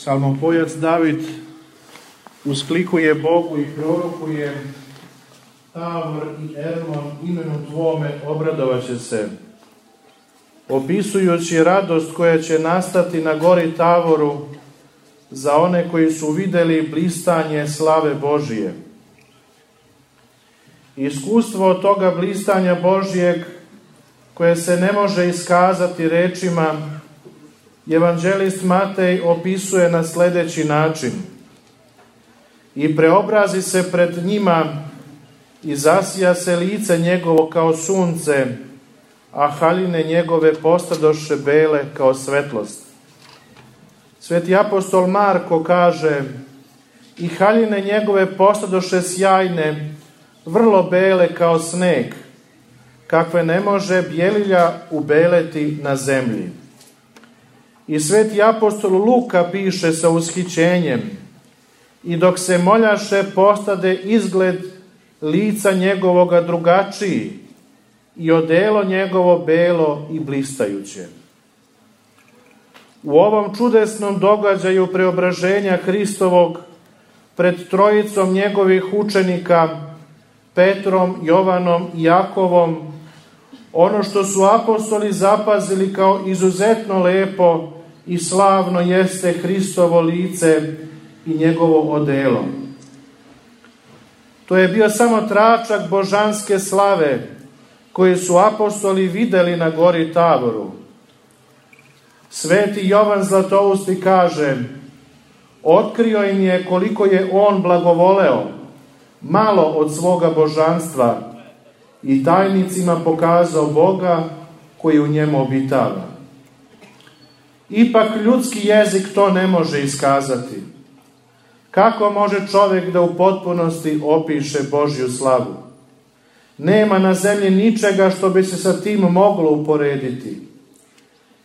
Psalmopojac David usklikuje Bogu i prorokuje: Tavor i Ermon imenu Tvome obradovaće se, opisujući radost koja će nastati na gori Tavoru za one koji su videli blistanje slave Božije. Iskustvo od toga blistanja Božijeg, koje se ne može iskazati rečima, evanđelist Matej opisuje na sljedeći način: i preobrazi se pred njima i zasija se lice njegovo kao sunce, a haljine njegove postadoše bele kao svetlost. Sveti apostol Marko kaže: i haljine njegove postadoše sjajne, vrlo bele kao sneg, kakve ne može bjelilja ubeleti na zemlji. I sveti apostol Luka piše sa ushićenjem: i dok se moljaše, postade izgled lica njegovoga drugačiji i odelo njegovo belo i blistajuće. U ovom čudesnom događaju preobraženja Hristovog pred trojicom njegovih učenika, Petrom, Jovanom i Jakovom, ono što su apostoli zapazili kao izuzetno lepo i slavno jeste Hristovo lice i njegovo odelo. To je bio samo tračak božanske slave koje su apostoli videli na gori Tavoru. Sveti Jovan Zlatousti kaže: otkrio im je koliko je on blagovoleo, malo od svoga božanstva, i tajnicima pokazao Boga koji u njemu obitava. Ipak ljudski jezik to ne može iskazati. Kako može čovjek da u potpunosti opiše Božju slavu? Nema na zemlji ničega što bi se sa tim moglo uporediti.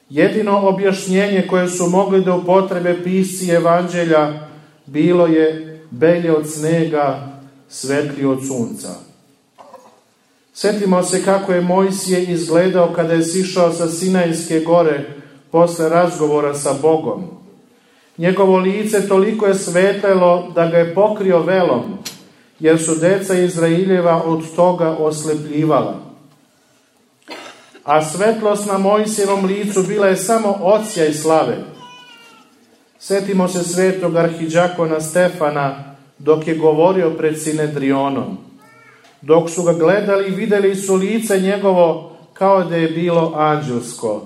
Jedino objašnjenje koje su mogli da upotrebe pisci evanđelja bilo je: belje od snega, svetlije od sunca. Sjetimo se kako je Mojsije izgledao kada je sišao sa Sinajske gore posle razgovora sa Bogom. Njegovo lice toliko je svetlelo da ga je pokrio velom, jer su deca Izraeljeva od toga oslepljivala. A svetlost na Mojsijevom licu bila je samo odsjaj slave. Sjetimo se svetog arhidžakona Stefana dok je govorio pred Sinedrionom. Dok su ga gledali, vidjeli su lice njegovo kao da je bilo anđelsko,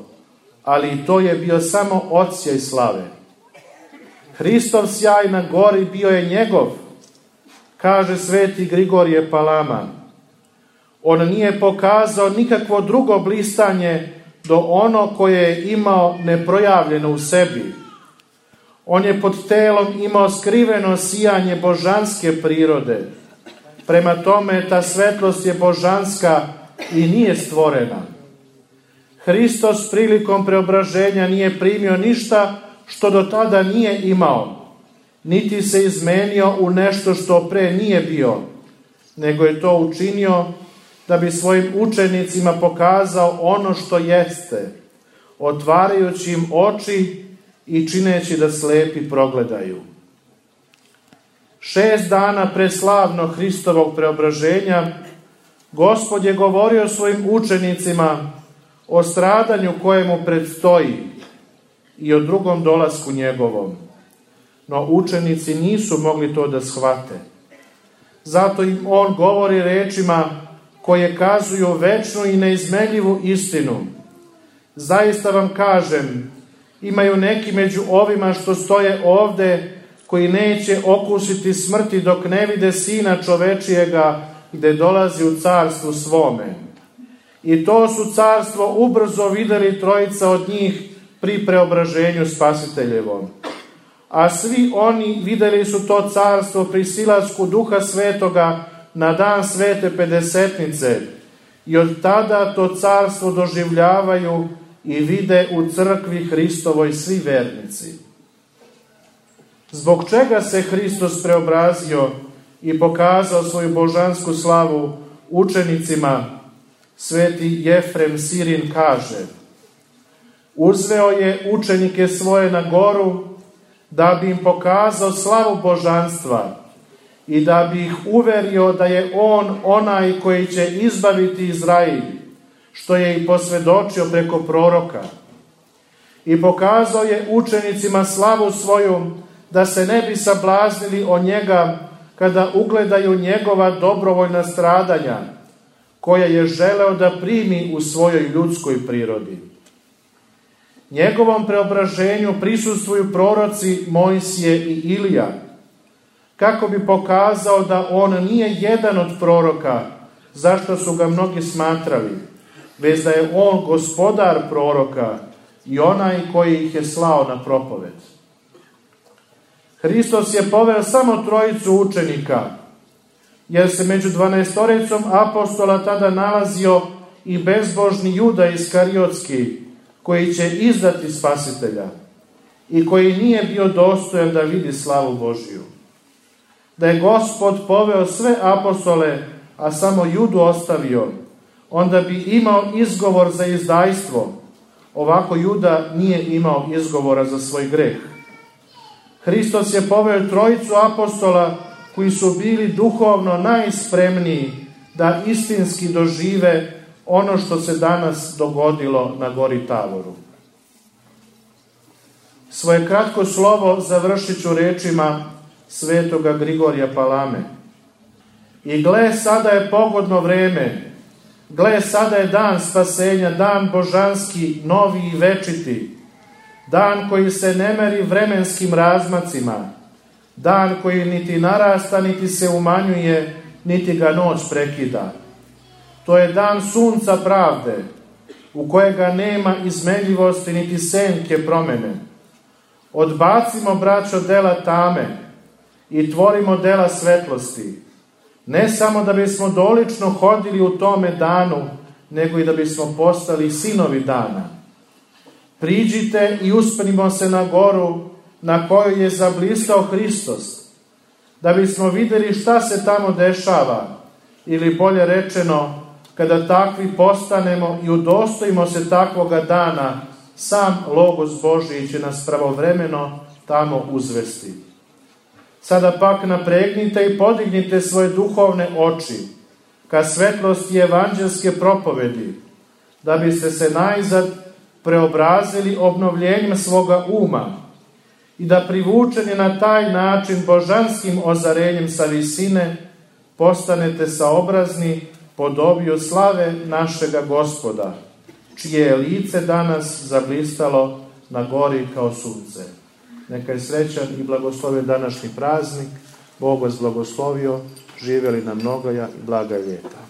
ali i to je bio samo odsjaj slave. Hristov sjaj na gori bio je njegov, kaže sveti Grigorije Palama. On nije pokazao nikakvo drugo blistanje do ono koje je imao neprojavljeno u sebi. On je pod telom imao skriveno sijanje božanske prirode. Prema tome, ta svetlost je božanska i nije stvorena. Hristos prilikom preobraženja nije primio ništa što do tada nije imao, niti se izmenio u nešto što pre nije bio, nego je to učinio da bi svojim učenicima pokazao ono što jeste, otvarajući im oči i čineći da slepi progledaju. 6 dana pre slavnog Hristovog preobraženja Gospod je govorio svojim učenicima o stradanju kojemu predstoji i o drugom dolasku njegovom. No učenici nisu mogli to da shvate. Zato im on govori rečima koje kazuju večnu i neizmenljivu istinu. Zaista vam kažem, imaju neki među ovima što stoje ovde koji neće okusiti smrti dok ne vide Sina čovečijega gde dolazi u carstvu svome. I to su carstvo ubrzo videli trojica od njih pri preobraženju Spasiteljevom. A svi oni videli su to carstvo pri silasku Duha Svetoga na dan Svete Pedesetnice i od tada to carstvo doživljavaju i vide u crkvi Hristovoj svi vernici. Zbog čega se Hristos preobrazio i pokazao svoju božansku slavu učenicima, sveti Jefrem Sirin kaže: uzveo je učenike svoje na goru da bi im pokazao slavu božanstva i da bi ih uverio da je on onaj koji će izbaviti Izrael, što je i posvjedočio preko proroka. I pokazao je učenicima slavu svoju, da se ne bi sablaznili o njega kada ugledaju njegova dobrovoljna stradanja, koja je želeo da primi u svojoj ljudskoj prirodi. Njegovom preobraženju prisustvuju proroci Mojsije i Ilija, kako bi pokazao da on nije jedan od proroka, zašto su ga mnogi smatrali, već da je on gospodar proroka i onaj koji ih je slao na propoved. Hristos je poveo samo trojicu učenika, jer se među 12 apostola tada nalazio i bezbožni Juda Iskariotski, koji će izdati Spasitelja i koji nije bio dostojan da vidi slavu Božiju. Da je Gospod poveo sve apostole, a samo Judu ostavio, onda bi imao izgovor za izdajstvo. Ovako Juda nije imao izgovora za svoj greh. Hristos je poveo trojicu apostola koji su bili duhovno najspremniji da istinski dožive ono što se danas dogodilo na gori Tavoru. Svoje kratko slovo završit ću rečima svetoga Grigorija Palame. I gle, sada je pogodno vreme, gle, sada je dan spasenja, dan božanski, novi i večiti, dan koji se ne meri vremenskim razmacima, dan koji niti narasta, niti se umanjuje, niti ga noć prekida. To je dan sunca pravde, u kojega nema izmenljivosti niti senke promene. Odbacimo, braćo, dela tame i tvorimo dela svetlosti, ne samo da bismo dolično hodili u tome danu, nego i da bismo postali sinovi dana. Priđite i uspenimo se na goru na kojoj je zablistao Hristos, da bismo vidjeli šta se tamo dešava, ili bolje rečeno, kada takvi postanemo i udostojimo se takvoga dana, sam Logos Božiji će nas pravovremeno tamo uzvesti. Sada pak napregnite i podignite svoje duhovne oči ka svetlosti evanđelske propovedi, da biste se najzad preobrazili obnovljenjem svoga uma i da privučeni na taj način božanskim ozarenjem sa visine postanete saobrazni podobiju slave našega Gospoda, čije je lice danas zablistalo na gori kao sunce. Neka je srećan i blagoslovljen današnji praznik. Bog vas blagoslovio, živjeli na mnogoja i blaga ljeta.